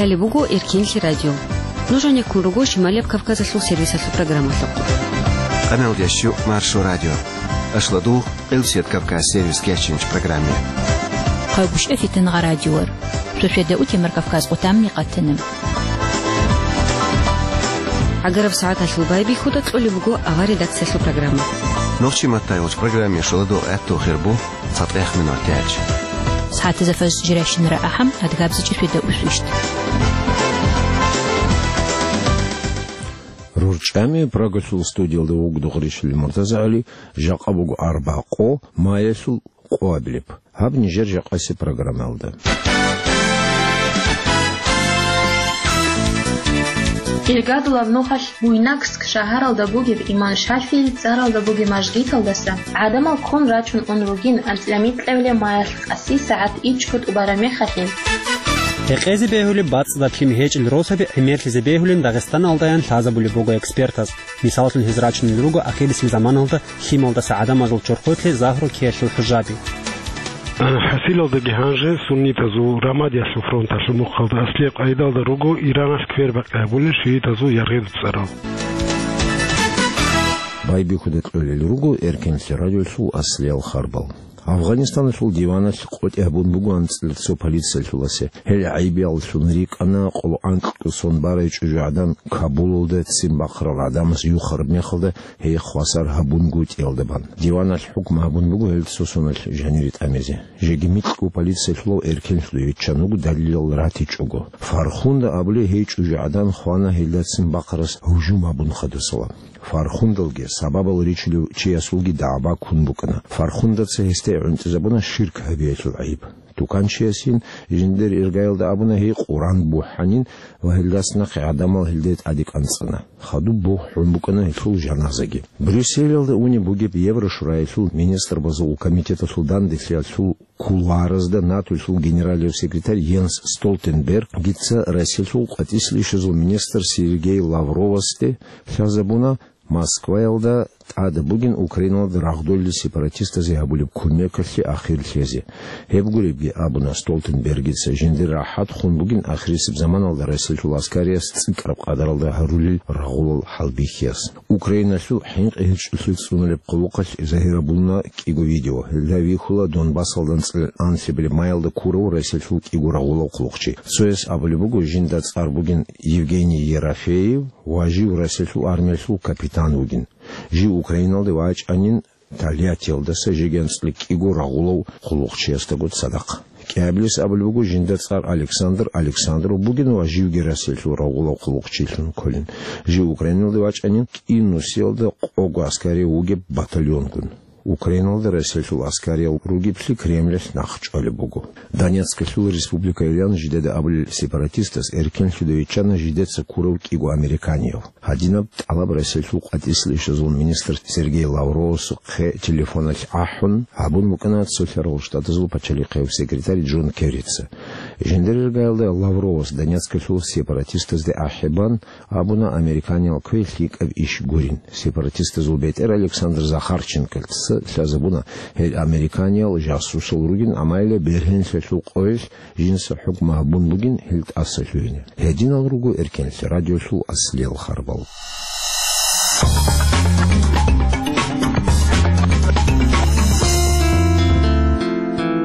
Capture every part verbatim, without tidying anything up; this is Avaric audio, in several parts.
Гьале буго Эркенлъи радио. Нуж гьанеккун руго Шималияб Кавказалъул сервисалъул программалъухъ. Къамел ящу Маршо радио. Ашладу Къилсият Кавказ сервис кечинч программе. Къайгъушев Фитнагъа радиор. Цо щведа ути Маркавказ къутамни къатана. Агараб сагӀаталъул байбихьуда кьолеб буго авар редакциялъул программа. Нохчи маттайолч программе шоладо гӀатту хирбу цатӀех минут тяч. СагӀатазда фаз жиращинара ахӀам адгабзичӀи щведа усвищт. РурчӀами Прагалъул студиялда вугдухъ ришили муртазагӀали, жакъа буго арбакъо маялъул къоабилеб. Гьаб нижер жакъаси программалда. Иргадулаб нухалъ Буйнакск шагьаралда бугеб имам ШафигӀил цӀаралда бугеб мажгиталдаса гӀадамал ккун рачун ун ругин анцӀила микьабилеб маялъ къаси сагӀат ичӀго тӀубараб мехалъин. Гьекъезе бегьулеб бацӀцӀадаб лъим гьечӀел росаби гӀемерлъизе бегьулин Дагъистаналдаян лъазабулеб буго экспертаз. Мисаллъун, гьез рачунел руго ахирисеб заманалда лъималдаса гӀадамазул чорхолъе загьру ккеялъул хӀужаби. ХӀасилалдаги гьанже суннитазул Рамадиялъул фронталъул мухъалда аслияб къайдалда руго Иранас квербакъи гьабулел шиитазул яргъи цӀарал. Байбихьуда кьолел руго Эркенлъи радиолъул аслиял харбал. Афганистаналъул диваналъ къотӀи гьабун буго анцӀила цо полициялъуласе. Гьел гӀайибияллъун рикӀкӀана къоло анкьго сон барай чӀужугӀадан Кабулалда ццин бахъарал гӀадамаз юхараб мехалда гьей хвасар гьабунгутӀиялда бан. Диваналъ хӀукму гьабун буго гьел цо соналъ жанире тӀамизе. Жеги микьго полициялъулав эркенлъуде виччан вуго далилал ратичӀого. Фархунда абулей гьей чӀужугӀадан хвана гьелдацин бахъарас гьужум гьабун хадусала. Фархундалги, сабабал ричулев чиясулги дагӀба ккун букӀана. Фархундаца гьесде гӀунтӀизабуна ширк гьабиялъул гӀайиб. Туканчиясин жиндир иргаялда абуна гьей Къуран бухӀанин ва гьелдас нахъе гӀадамал гьелде тӀаде кӀанцӀана. Хадуб бухӀун букӀана гьелъул жаназаги. Брюсселалда унеб бугеб Еврошураялъул министрбазул комитеталъул данделъиялъул кулуаразда НАТОлъул генералияб секретарь Йенс Столтенбергица Россиялъул къватӀислъи ишазул министр Сергей Лавровасде лъазабуна Москваялда тӀада бугин Украиналда рагъдолел сепаратистазе гьабулеб кумекалъе ахир лъезе. Гьеб гуребги абуна Столтенбергица, жиндир рахӀат хун бугин ахирисеб заманалда Россиялъул аскарияс цӀикӀкӀараб къадаралда гьарулел рагъулал хӀалбихьияс. Украиналъул хӀинкъи гьечӀолъи цӀунулеб хъулухъалъ загьирабуна кӀиго видео. Гьелда вихьула Донбассалда анцӀила анлъабилеб маялда ккурав Россиялъул кӀиго рагъулав хъулухъчи. Цояс абулеб буго, жинда цӀар бугин Евгений Ерофеев ва жив Россиялъул армиялъул капитан вугин. Жив Украиналде вачӀанин Тольяттиялдаса жеги анцӀила кӀиго рагъулав хъулухъчиясдаго цадахъ. КӀиабилес абулеб буго, жинда цӀар Александр Александров бугин ва живги Россиялъул рагъулав хъулухъчилъун кколин. Жив Украиналде вачӀанин кӀинусиялда къого аскарияв вугеб батальонгун. Украиналда Россиялъул аскариял ругеблъи Кремлалъ нахъ чӀвалеб буго. Донецкалъул республикайилан жидеда абулел сепаратистас эркенлъуда виччана жидеца ккурав кӀиго американияв. Гьадинаб тӀалаб Россиялъул къватӀислъи ишазул министр Сергей Лавровасухъе телефоналъ ахӀун гьабун букӀана Цолъарал Штатазул пачалихъияб секретарь Джон Керрица. Жиндир иргаялда Лавровас Донецкалъул сепаратистазде ахӀи бан абуна американиял квей лъикӀаб иш гурин. Сепаратистазул бетӀер Александр Захарченколъца лъазабуна гьел американиял жасусал ругин, амма гьеле бергьенлъиялъул къоялъ жинца хӀукму гьабун бугин гьел тӀаса лъугьине. Гьединал руго Эркенлъи радиолъул аслиял харбал.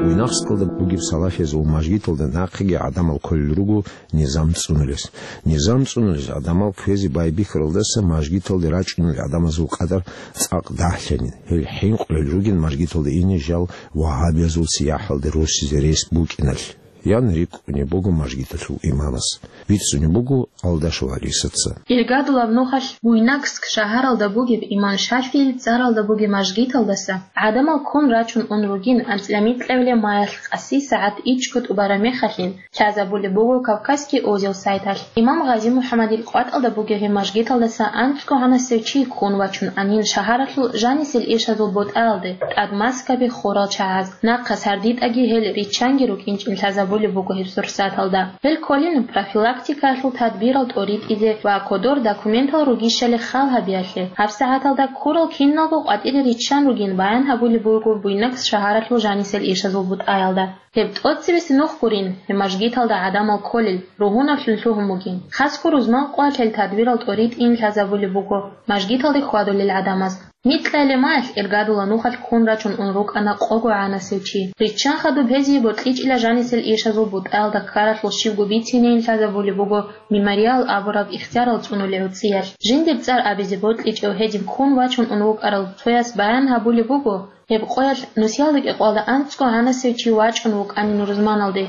Уйнахскалда бугеб салафиязул мажгиталда нахъеги гӀадамал кколел руго низам цӀунулес. Низам цӀунулес гӀадамал кквезе байбихьаралдаса мажгиталде рачӀунел гӀадамазул къадар цӀакъ дагьлъанин. Гьел хӀинкъулел ругин мажгиталде ине жал вагьабиязул сияхӀалде руссизе рес букӀиналъ, ян рикӀкӀунеб буго мажгиталъул имамас. Бицунеб буго Алдашев Алисаца. Иргадулаб нухалъ Буйнакск шагьаралда бугеб имам ШафигӀил цӀаралда бугеб мажгиталдаса гӀадамал ккун рачун ун ругин анцӀила микьабилеб маялъ къаси сагӀат ичӀго тӀубараб мехалъин, лъазабулеб буго Кавказский узел сайталъ. Имам Гъази-МухӀаммадил къватӀалда бугеб гьеб мажгиталдаса анцӀго гьанасев чи ккун вачун анин шагьаралъул жанисел ишазул бутӀаялде, тӀад маскаби хурал чагӀаз, нахъа сардитӀаги гьел риччанги рукӀинчӀин лъазабулеб кколеб буго гьеб сурсаталда. Гьел кколин профилактикаялъул тадбирал тӀоритӀизе ва кодор документал ругищали хал гьабиялъе. ГьабсагӀаталда ккурал киналго къватӀире риччан ругин баян гьабулеб буго Буйнакск шагьаралъул жанисел ишазул бутӀаялда. Гьеб тӀоцебесеб нух гурин, гьеб мажгиталда гӀадамал кколел, ругьунаблъун лъугьун бугин. Хасго рузман къоялъ гьел тадбирал тӀоритӀин лъазабулеб буго мажгиталде хьвадулел гӀадамаз. Микьа лемаялъ Иргадула нухалъ ккун рачун ун рукӀана къого гӀанасев чи. Риччан хадуб гьезие бокьичӀила жанисел ишазул бутӀаялда ккаралъул щибго бицинейин лъазабулеб буго мемориал абураб ихтиярал цӀунулел гӀуцӀиялъ. Жиндир цӀар абизе бокьичӀев гьедин ккун вачун ун вукӀарал цояс баян гьабулеб буго, гьеб къоялъ нусиялда кӀикъоялда анцӀго гӀанасев чи вачӀун вукӀанин рузманалде.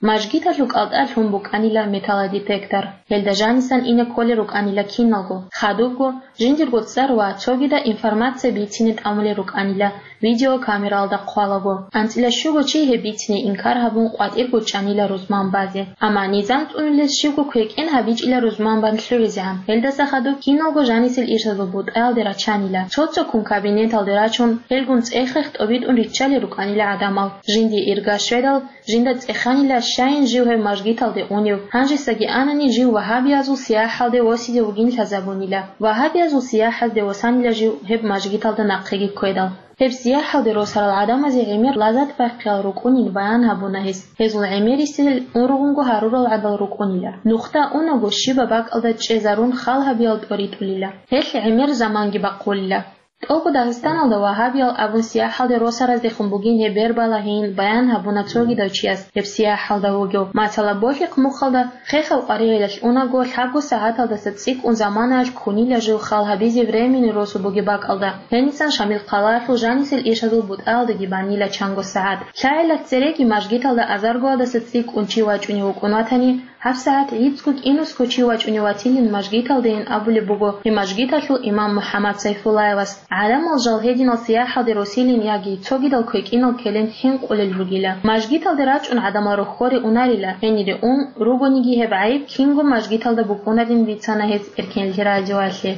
Мажгиталъул кӀалтӀа лъун букӀанила металлодетектор. Гьелда жанисан ине кколел рукӀанила киналго, хадубго, жиндирго цӀар ва цогидаб информация бицине тӀамулел рукӀанила видеокамералда хъвалаго. АнцӀила щуго чи гьеб бицине инкар гьабун къватӀирго чӀанила рузман базе. Амма низам цӀунулес щибго квекӀен гьабичӀила рузман бан лъугӀизегӀан. Гьелдаса хадуб киналго жанисел ишазул бутӀаялде рачанила. Цо-цоккун кабинеталде рачун, гьелгун цӀех-хех тӀобитӀун риччалел рукӀанила гӀадамал. Жиндие ирга щведал, жинда цӀеханила щайин жив гьев мажгиталде унев, гьанжесаги анани жив вагьабиязул сияхӀалде восизе вугин лъазабунила. Вагьабиязул сияхӀазде восанила жив гьеб мажгиталда нахъеги ккведал. Гьеб сияхӀалде росарал гӀадамазе гӀемер лазат бахъиялъ рукӀунин баян гьабуна гьес. Гьезул гӀемерисел ургъунго гьарурал гӀадал рукӀунила. Нухда унаго щибаб бакӀалда чӀезарун хал гьабиялъ тӀоритӀулила. Гьелъ гӀемер заманги бахъулила. ТӀокӀго Дагъистаналда вагьабиял абун сияхӀалде росараздехун бугин гьеб бербалагьейин баян гьабуна цогидав чияс гьеб сияхӀалда вугев. Масала, Болъихъ мухъалда хехаб къваригӀелалъ унаго, лъабго сагӀаталдаса цӀикӀкӀун заманаялъ ккунила жив хал гьабизе временный росу бугеб бакӀалда. Гьенисан Шамил хъалаялъул жанисел ишазул бутӀаялдаги банила чанго сагӀат. ЛъагӀелалъ цереги мажгиталда азаргоялдаса цӀикӀкӀун чи вачӀунев вукӀун ватани, ГьабсагӀат гӀицӀго кӀинусго чи вачӀунев ватилин мажгиталдейин абулеб буго гьеб мажгиталъул имам МухӀаммад Сайфуллаевас. ГӀадамал жал гьединал сияхӀалде росилин яги цогидал квекӀинал ккелин хӀинкъулел ругила. Мажгиталде рачӀун гӀадамал рохьоре унарила, гьенире ун ругониги гьеб гӀайиб кинго мажгиталда букӀунарин бицана гьез Эркенлъи радиоялъе.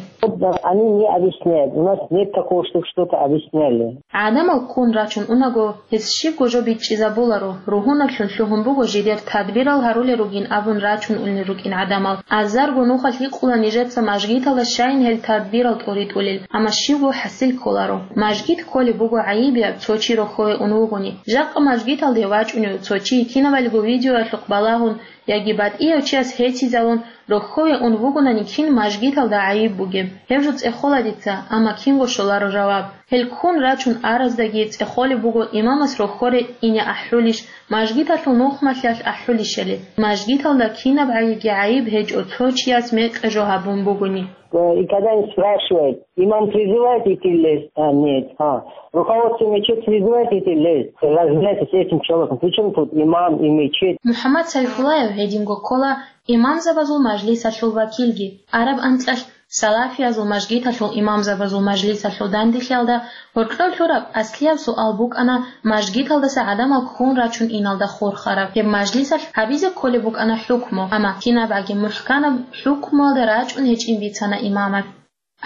Они не объясняют. У нас нет такого, чтобы что-то объясняли. ГӀадамал ккун рачун унаго, гьез щибго жо бичӀчӀизабуларо, ругьунаблъун лъугьун буго жидер тадбирал гьарулел ругин абун рачун унел рукӀин гӀадамал. Азарго нухалъ гьикъула нижеца мажгиталда щайин гьел тадбирал тӀоритӀулел, амма щибго хӀасил кколаро. Мажгит кколеб буго гӀайибияб цо чи рохьове ун вугони. Жакъа мажгиталде вачӀунев цо чи кинабалго видеоялъухъ балагьун, яги батӀияв чияс гьечизавун, рохьове ун вугонани кин мажгиталда гӀайиб бугеб? Гьеб жо цӀехола дица, амма кинго щоларо жаваб. Гьел ккун рачун араздаги цӀехолеб буго имамас рохьоре ине ахӀулищ, мажгиталъул нухмалъиялъ ахӀулищали. Мажгиталда кинаб гӀайибги гӀайиб гьечӀо цо чияс мекъи жо гьабун бугони. Э, и когда они спрашивают, имам призывает идти лезть? А, нет. А, руководство мечети призывает идти лезть? Разбирайтесь с этим человеком. Причём тут имам и мечеть? МухӀаммад Сайфуллаев гьединго ккола имамзабазул мажлисалъул вакилги. Араб анкьалъ салафиязул мажгиталъул имамзабазул мажлисалъул данделъиялда гьоркьов лъураб аслияб суал букӀана мажгиталдаса гӀадамал ккун рачун иналда хурхараб. Гьеб мажлисалъ гьабизе кколеб букӀана хӀукму, амма кинабгӀаги мухӀканаб хӀукмуялда рачӀун гьечӀин бицана имамас.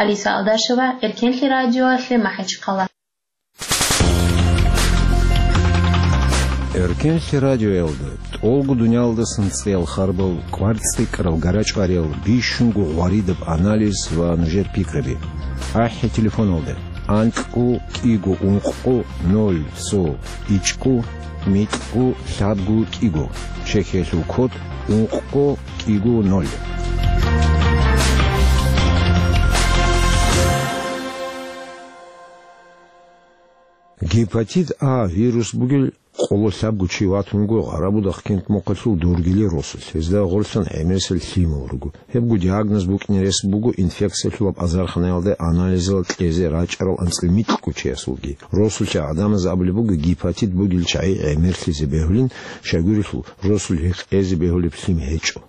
Алиса Алдашева, Эркенлъи радиоялъе, МахӀачхъала. Эркенлъи радиоялда тӀолго дуниялдасан цӀеял харбал, кӀвар цӀикӀкӀарал, гарачӀвариял, бищунго гъваридаб анализ ва нужер пикраби. АхӀи телефоналда: анкьго кӀиго ункъго ноль цо ичӀго микьго лъабго кӀиго, чехьиялъул код ункъго кӀиго ноль. Гепатит А вирус бугел къоло лъабго чи ватун вуго Гъарабудахъ кент мухъалъул Доргили росулъ. Гьезда гъорлъан гӀемерисел лъимал руго. Гьебго диагноз букӀине рес буго инфекциялъулаб азарханаялда анализал кьезе рачӀарал анцӀила микьго чиясулги. Росулъе гӀадамаз абулеб буго гепатит бугел чагӀи гӀемерлъизе бегьулин, щайгурелъул росулъ гьекъезе бегьулеб лъим гьечӀо.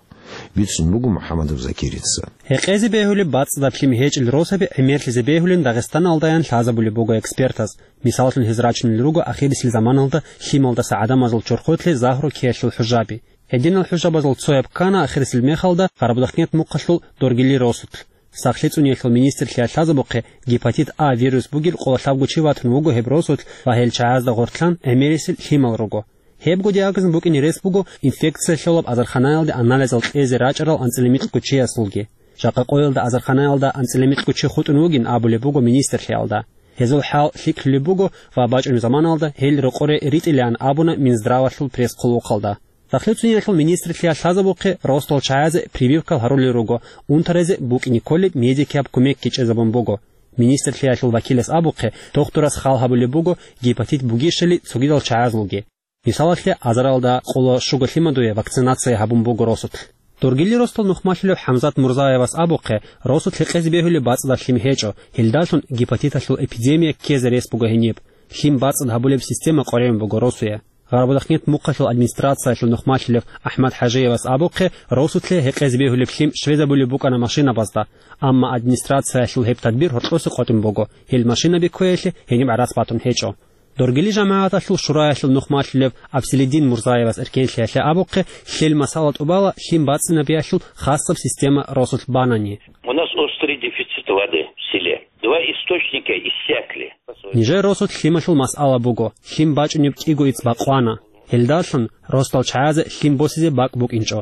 Бицун буго МухӀаммадов Закирица. Гьекъезе бегьулеб бацӀцӀадаб лъим гьечӀел росаби гӀемерлъизе бегьулин Дагъистаналдаян лъазабулеб буго экспертаз. Мисаллъун, гьез рачунел руго ахирисел заманалда лъималдаса гӀадамазул чорхолъе загьру ккеялъул хӀужаби. Гьединал хӀужабазул цояб ккана ахирисел мехалда Гъарабудахъ кент мухъалъул Доргили росулъ. Сахлъи цӀуниялъул министрлъиялъ лъазабухъе, гепатит А вирус бугел къоло лъабго чи ватун вуго гьеб росулъ ва гьел чагӀазда гъорлъан гӀемерисел лъимал руго. Гьебго диагнозун букӀине рес буго инфекция лъолаб азарханаялде анализал кьезе рачӀарал анцӀила микьго чиясулги. Жакъа къоялда азарханаялда анцӀила микьго чи хутӀун вугин абулеб буго министрлъиялда. Гьезул хӀал лъикӀлъулеб буго ва бачӀунеб заманалда гьел рокъоре ритӀилаан абуна Минздравалъул пресс-хъулухъалда. Сахлъи цӀуниялъул министрлъиялъ лъазабухъе росдал чагӀазе прививкал гьарулел руго, унтаразе букӀине кколеб медикияб кумекги чӀезабун буго. Министрлъиялъул вакилас абухъе, дохтурас хал гьабулеб буго гепатит бугищали цогидал чагӀазулги. Мисалалъе, азаралда къоло щуго лъимадуе вакцинация гьабун буго росулъ. Доргили росдал нухмалъулев ХӀамзат Мурзаевас абухъе, росулъ гьекъезе бегьулеб бацӀцӀадаб лъим гьечӀо, гьелдалъун гепатиталъул эпидемия ккезе рес буго гьениб. Лъим бацӀцӀад гьабулеб система къваригӀун буго росуе. Гъарабудахънет мухъалъул администрациялъул нухмалъулев АхӀмад ХӀажиевас абухъе, росулъе гьекъезе бегьулеб лъим щвезабулеб букӀана машинабазда, амма администрациялъул гьеб тадбир гьоркьосе къотӀун буго, гьел машинаби кквеялъе гьениб гӀарац батун гьечӀо. Доргили жамагӀаталъул шураялъул нухмалъулев Абселиддин Мурзаевас эркенлъиялъе абухъе, лъел масъала тӀубала лъим бацӀцӀинабиялъул хасаб система росулъ банани. У нас острый дефицит воды в селе. Два источника иссякли. Нижер росулъ лъималъул масъала буго, лъим бачӀунеб кӀиго ицц бакъвана. Гьелдалъун росдал чагӀазе лъим босизе бакӀ букӀинчӀо.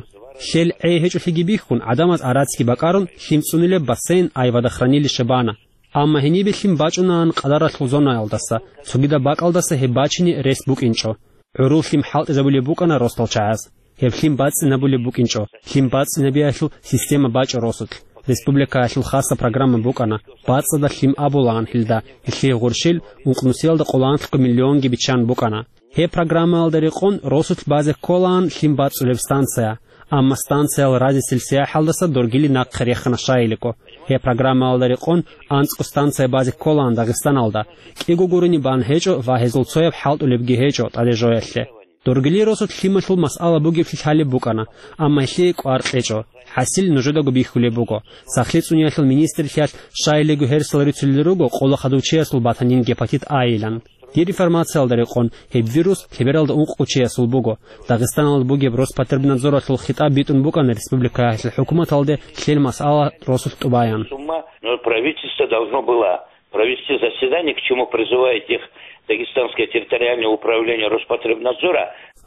Лъел гӀей гьечӀолъиги бихьун, гӀадамаз гӀарацги бакӀарун, лъим цӀунилеб бассейн ай водохранилище бана. Амма гьенибе лъим бачӀунаан къадаралъул зонаялдаса, цогидаб бакӀалдаса гьеб бачине рес букӀинчӀо. ГӀурул лъим хӀалтӀизабулеб букӀана росдал чагӀаз. Гьеб лъим бацӀцӀинабулеб букӀинчӀо, лъим бацӀцӀинабиялъул система бачӀо росулъ. Республикаялъул хасаб программа букӀана, бацӀцӀадаб лъим абулаан гьелда, гьелъие гъурщил ункънусиялда къоло анлъго миллионги биччан букӀана. Гьеб программаялда рекъон росулъ базе кколаан лъим бацӀцӀулеб станция, амма станциял разисел сияхӀалдаса доргили нахъе рехана щайилиго. Гьеб программаялда рекъон анцӀго станция базе кколаан Дагъистаналда, кӀиго гурони бан гьечӀо ва гьезул цояб хӀалтӀулебги гьечӀо тӀаде жоялъе. Доргили росулъ лъималъул масъала бугеблъи лъалеб букӀана, амма гьелъие кӀвар кьечӀо. ХӀасил нужедаго бихьулеб буго. Сахлъи цӀуниялъул министрлъиялъ щайилиго гьерсал рицулел руго къола хадув чиясул батанин гепатит А-йилан. Дир информациялда рекъон, гьеб вирус лъебералда ункъго чиясул буго. Дагъистаналда бугеб Роспотребнадзоралъул хитӀаб битӀун букӀана республикаялъул хӀукуматалде лъел масъала росулъ тӀубаян. С ума, но правительство должно было провести заседание, к чему призывает их Дагестанское территориальное управление Роспотребнадзора.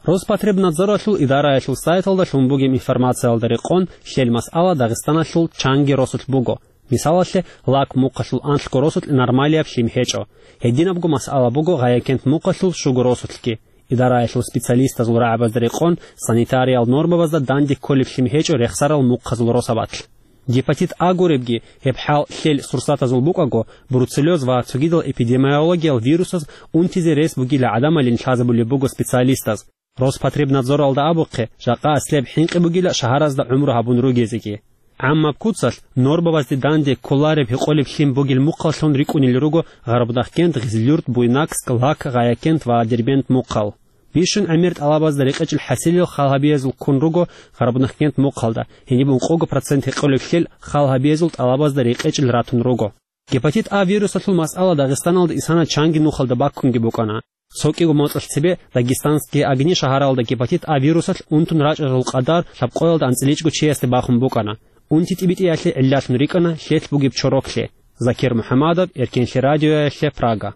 Роспотребнадзоралъул идараялъул сайталда лъун бугеб информациялда рекъон, лъел масъала Дагъистаналъул чанги росулъ буго. Мисалалъе, Лак мухъалъул анлъго росулъ нормалияб лъим гьечӀо. Гьединабго масъала буго Гъаякент мухъалъул щуго росулъги. Идараялъул специалистазул рагӀабазда рекъон, санитариял нормабазда данде кколеб лъим гьечӀо рехсарал мухъазул росабалъ. Гепатит А гуребги, гьеб хӀал лъел сурсатазул букӀаго, бруцеллез ва цогидал эпидемиологиял вирусаз унтизе рес бугила гӀадамалин лъазабулеб буго специалистаз. Роспотребнадзоралда абухъе, жакъа аслияб хӀинкъи бугила шагьаразда гӀумру гьабун ругезеги. ГӀаммаб куцалъ нормабазде данде кколареб гьекъолеб лъим бугел мухъаллъун рикӀкӀунел руго Гъарабудахъкент, Гъизлюрт, Буйнакск, Лак, Гъаякент ва Дербент мухъал. Бищун гӀемер тӀалабазда рекъечӀел хӀасилел хал гьабиязул ккун руго Гъарабудахъкент мухъалда, гьениб ункъого процент гьекъолеб лъел хал гьабиязул тӀалабазда рекъечӀел ратун руго. Гепатит А вирусалъул масъала Дагъистаналда исана чанги нухалда баккунги букӀана. Цо кӀиго моцӀалъ цебе Дагестанские огни шагьаралда гепатит А вирусалъ унтун рачӀарал къадар лъабкъоялда анцӀиличӀго чиясде бахун букӀана. Унти тӀибитӀиялъе гӀиллалъун рикӀкӀана лъелъ бугеб чороклъи. Закир МухӀамадов, Эркенлъи радиоялъе, Прага.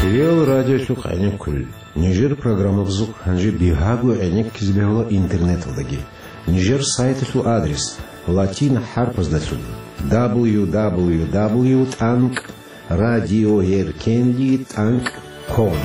Кирил радиолъухъ гӀенеккулел. Нижер программабазухъ гьанже бигьаго гӀенеккизе бегьула интернеталдаги. Нижер сайталъул адрес латин хӀарпаздалъун: дабл ю дабл ю дабл ю тӀанкӀ радиоеркенлъи тӀанкӀ ком.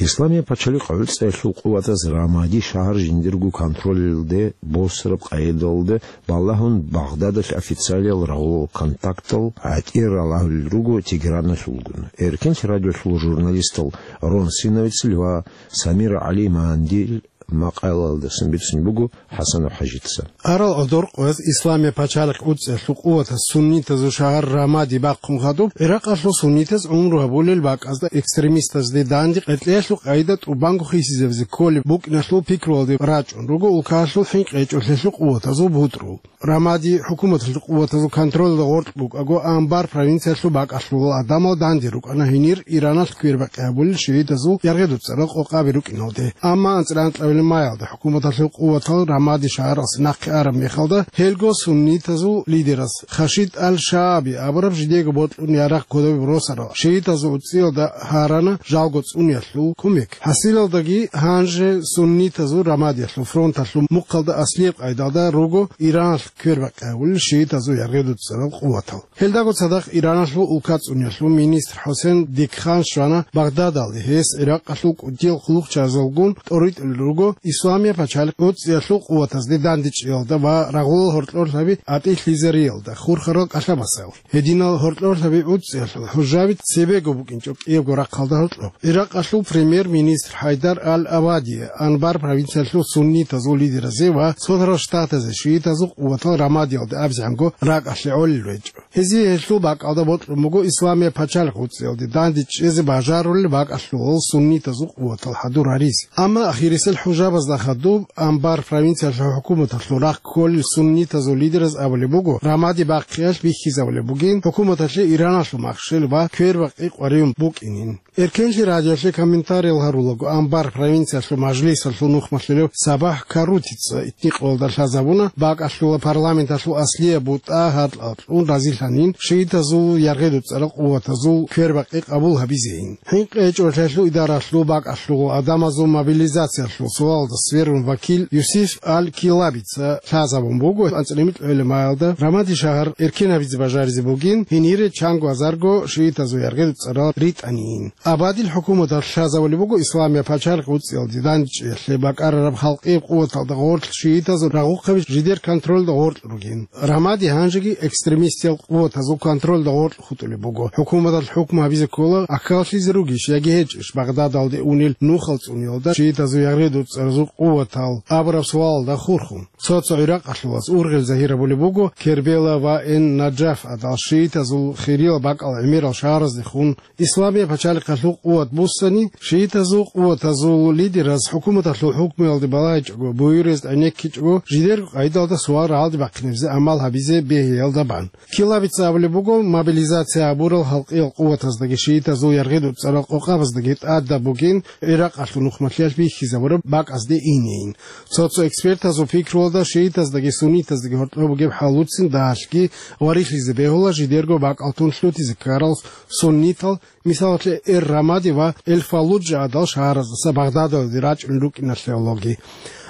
Исламияб пачалихъ гӀуцӀиялъул къуватаз Рамади шагьар жиндирго контролалде босараб къайдалде балагьун, Багъдадалъ официалиял рагъулал контактал гӀатӀир ралагьулел руго Тегераналъулгун. Эркенлъи радиолъул журналистал Рон Синовецил ва Самир ГӀали Мандил макъалаялдасан бицун буго ХӀасанов ХӀажица. Арал гӀодор къоялъ Исламияб пачалихъ гӀуцӀиялъул къуватаз суннитазул шагьар Рамади бахъун хадуб, ГӀиракъалъул суннитаз гӀумру гьабулел бакӀазда экстремистазде данде къеркьеялъул къайда тӀубанго хисизабизе кколеб букӀиналъул пикруялде рачӀун руго улкаялъул хӀинкъи гьечӀолъиялъул къуватазул бутӀрул. Рамади хӀукуматалъул къуватазул контролалда гъоркь букӀаго, Анбар провинциялъул бакӀалъулал гӀадамал данде рукӀана гьенир Ираналъ квербакъи гьабулел шигӀидазул яргъи-дуцӀарал къокъаби рукӀиналде. Амма анцӀила анкьабилеб Маялда хӀукуматалъул къуватал Рамади шагьаралъ нахъе араб мехалда, гьелго суннитазул лидерас Хашид ал-Шааби абураб жидеего бокьун ярагъ кодобе росарал шиитазул уцӀиялда гьарана жалго цӀуниялъул кумек. ХӀасилалдаги гьанже суннитазул Рамадиялъул фронталъул мухъалда аслияб къайдалда руго Иранал квербакъи гьавулел шиитазул яргъедуцӀцӀарал къуватал. Гьелдаго цадахъ Ираналъул улкацӀуниялъул министр ХӀусен Дикхан щвана Багъдадалде, гьес ГӀиракъалъул кӀудиял хъулухъчаразулгун тӀоритӀулел руго Исламияб пачалихъ уцӀиялъул къуватазде дандечӀиялда ва рагъулал гьоркьорлъаби атӀилъизариялда хурхарал кӀалъабасал. Гьединал гьоркьорлъаби уцӀиялъул хӀужаби цебего букӀинчӀо кӀиябго рахъалда гьоркьоб. ГӀиракъалъул премьер-министр ХӀайдар ал-Абади Анбар провинциялъул суннитазул лидеразе ва Цолъарал Штатазе шиитазул къуватал Рамадиялде абизегӀанго ракӀалъе гӀолел гьечӀо. Гьезие гьелъул бакӀалда бокьун буго Исламияб пачалихъ уцӀиялде данде чӀезе бажарулел бакӀалъулал суннитазул къуватал хӀадур гьаризе. Амма ахирисел хӀужабазда хадуб Анбар провинциялъул хӀукуматалъул рахъ кколел суннитазул лидераз абулеб буго, Рамади бахъиялъ бихьизабулеб бугин хӀукуматалъе Ираналъул махщел ва квербакъи къваригӀун букӀинин. Эркенлъи радиоялъе комментариял гьарулаго, Анбар провинциялъул мажлисалъул нухмалъулев Сабахь Карутица итникъоялда лъазабуна, бакӀалъула парламенталъул аслияб бутӀа гьаркьалъун разилъанин шиитазул яргъедуцӀцӀарал къуватазул квербакъи къабул гьабизейин. ХӀинкъи гьечӀолъиялъул идаралъул бакӀалъула адамазул мобилизациялъул суалалда сверун вакил Юсиф ал-Килабица лъазабун буго, анцӀила гӀемер гӀолеб маялда Рамади шагьар эркен гьабизе бажаризе бугин, гьенире чанго азарго шиитазул яргъедуцӀцӀарал ритӀанин. Абадил хӀукуматалъ лъазабулеб буго Исламияб пачалихъ уцӀиялде дандчӀиялъе бакӀарараб халкъияб къуваталда гъорлъ шиитазул рагъухъаби жидер контролда гъоркь ругин. Рамади гьанжеги экстремистиял къуватазул контролда гъоркь хутӀулеб буго. ХӀукуматалъ хӀукму гьабизе ккола, аккаллъизе ругищ яги гьечӀищ Багъдадалде унел нухал цӀуниялда шиитазул яргъедуцӀцӀаразул къуватал абураб суалалда хурхун. Цо-цо гӀиракъалъулаз ургъел загьир гьабулеб буго Кербела ва Эн-Наджаф гӀадал шиитазул хириял бакӀал гӀемерал шагьараздехун Исламияб пачалихъалъул къуват буссани, шиитазул къуватазул лидераз хӀукуматалъул хӀукмуялде балагьичӀого, буюрез гӀенеккичӀого, жидерго къайдалда суал рагӀалде бахъинабизе амал гьабизе бегьиялда бан. Килабица абулеб буго, мобилизация гьабурал халкъиял къуватаздаги шиитазул яргъедуцӀцӀарал къокъабаздаги тӀадаб бугин ГӀиракъалъул нухмалъиялъ бихьизабураб бакӀазде инейин. Цо-цо экспертазул пикруялда шиитаздаги суннитаздаги гьоркьоб бугеб хӀалуцин дагьалъги варилъизе бегьула жидерго бакӀал тун лъутизе ккарал суннитал, мисалалъе, Эр-Рамади ва Эль-Фаллуджа гӀадал шагьараздаса Багъдадалде рачӀунел рукӀиналъе гӀологи.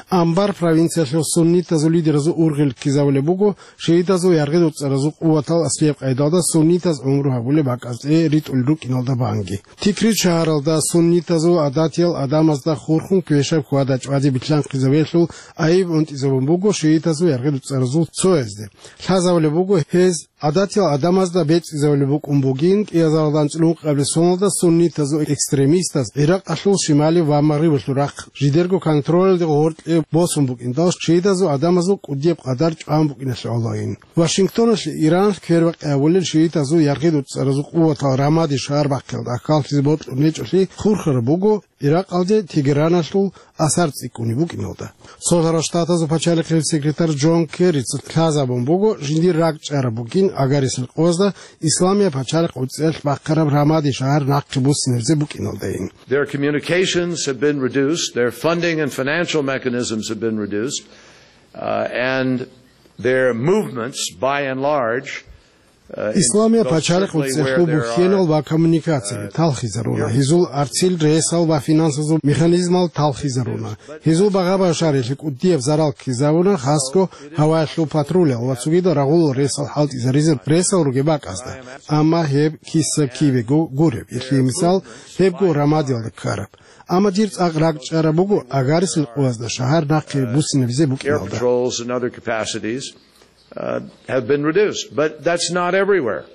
Анбар провинциялъул суннитазул лидеразул ургъел ккезабулеб буго шиитазул яргъедуцӀцӀаразул къуватал аслияб къайдалда суннитаз гӀумру гьабулеб бакӀазде ритӀулел рукӀиналда банги. Тикрит шагьаралда суннитазул гӀадатиял адамазда хурхун квешаб хьвада-чӀвади билълъанхъизабиялъул айиб унтӀизабун буго шиитазул яргъедуцӀцӀаразул цоязде. Лъазабулеб буго, гьез гӀадатиял адамазда бецӀизабулеб букӀун бугин, кӀиазаралда анцӀила ункъабилеб соналда суннитазул экстремистаз ГӀиракъалъул шималив ва магърибалъул рахъ жидерго контролалде гъоркье босун букӀиндал, шиитазул адамазул кӀудияб къадар чӀван букӀиналъе гӀолойин. Вашингтоналъе Иранас квербакъи гьавулел шиитазул яргъи-дуцӀцӀаразул къуватал Рамади шагьар бахъиялда аккаллъизе бокьун гьечӀолъи хурхараб буго Иракъалде Тегераналъул асар цӀикӀкӀунеб букӀиналда. Цолъарал Штатазул пачалихъил секретарь Джон Керрица лъазабун буго, жиндир ракӀчӀараб бугин агарисел къоязда Исламияб пачалихъ уцӀиялъ бахъараб Рамади шагьар нахъе буссинабизе букӀиналдайин. Their communications have been reduced, their funding and financial mechanisms have been reduced, uh, and their movements, by and large, uh, in Исламияб most пачалихъ certainly where уцӀиялъул there бухьенал are, ва коммуникацияби uh, талхизаруна, гьезул арцил ресал ва финансазул механизмал талхизаруна, гьезул багъа-башарилъи кӀудияб зарал ккезавуна, хасго гьаваялъул патрулал ва цогидал рагъулал ресал хӀалтӀизаризе ресал ругеб бакӀазда. Амма гьеб киса-кибего гуреб, гьелъие мисал, гьебго Рамадиялда ккараб. Амма дир цӀакъ ракӀчӀараб буго агарисел къоязда шагьар нахъе буссинабизе букӀиналда. Air patrols and other capacities, uh, have been reduced, but that's not everywhere.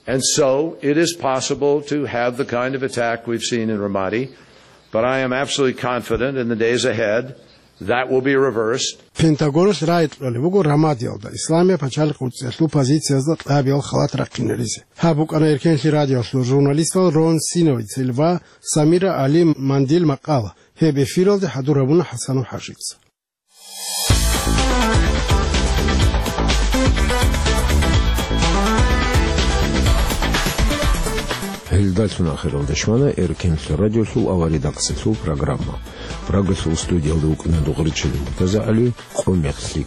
And so it is possible to have the kind of attack we've seen in Ramadi, but I am absolutely confident in the days ahead that will be reversed. Пентагоналъ рагӀи кьолеб буго Рамадиялда Исламияб пачалихъ уцӀиялъул позициязда кьабиял халат рахъинаризе. Гьаб букӀана Эркенлъи радиоялъул журналистал Рон Синовицел ва Самира Али Мандил макъала. Гьеб эфиралде хӀадур гьабуна ХӀасанов ХӀажица. Гьелдалъун ахиралда щвана Эркенлъи радиолъул аваридакъсалъул программа. Прагалъул студиялда вукӀана дугъричӀел МуртазагӀали, Къо мехлъи.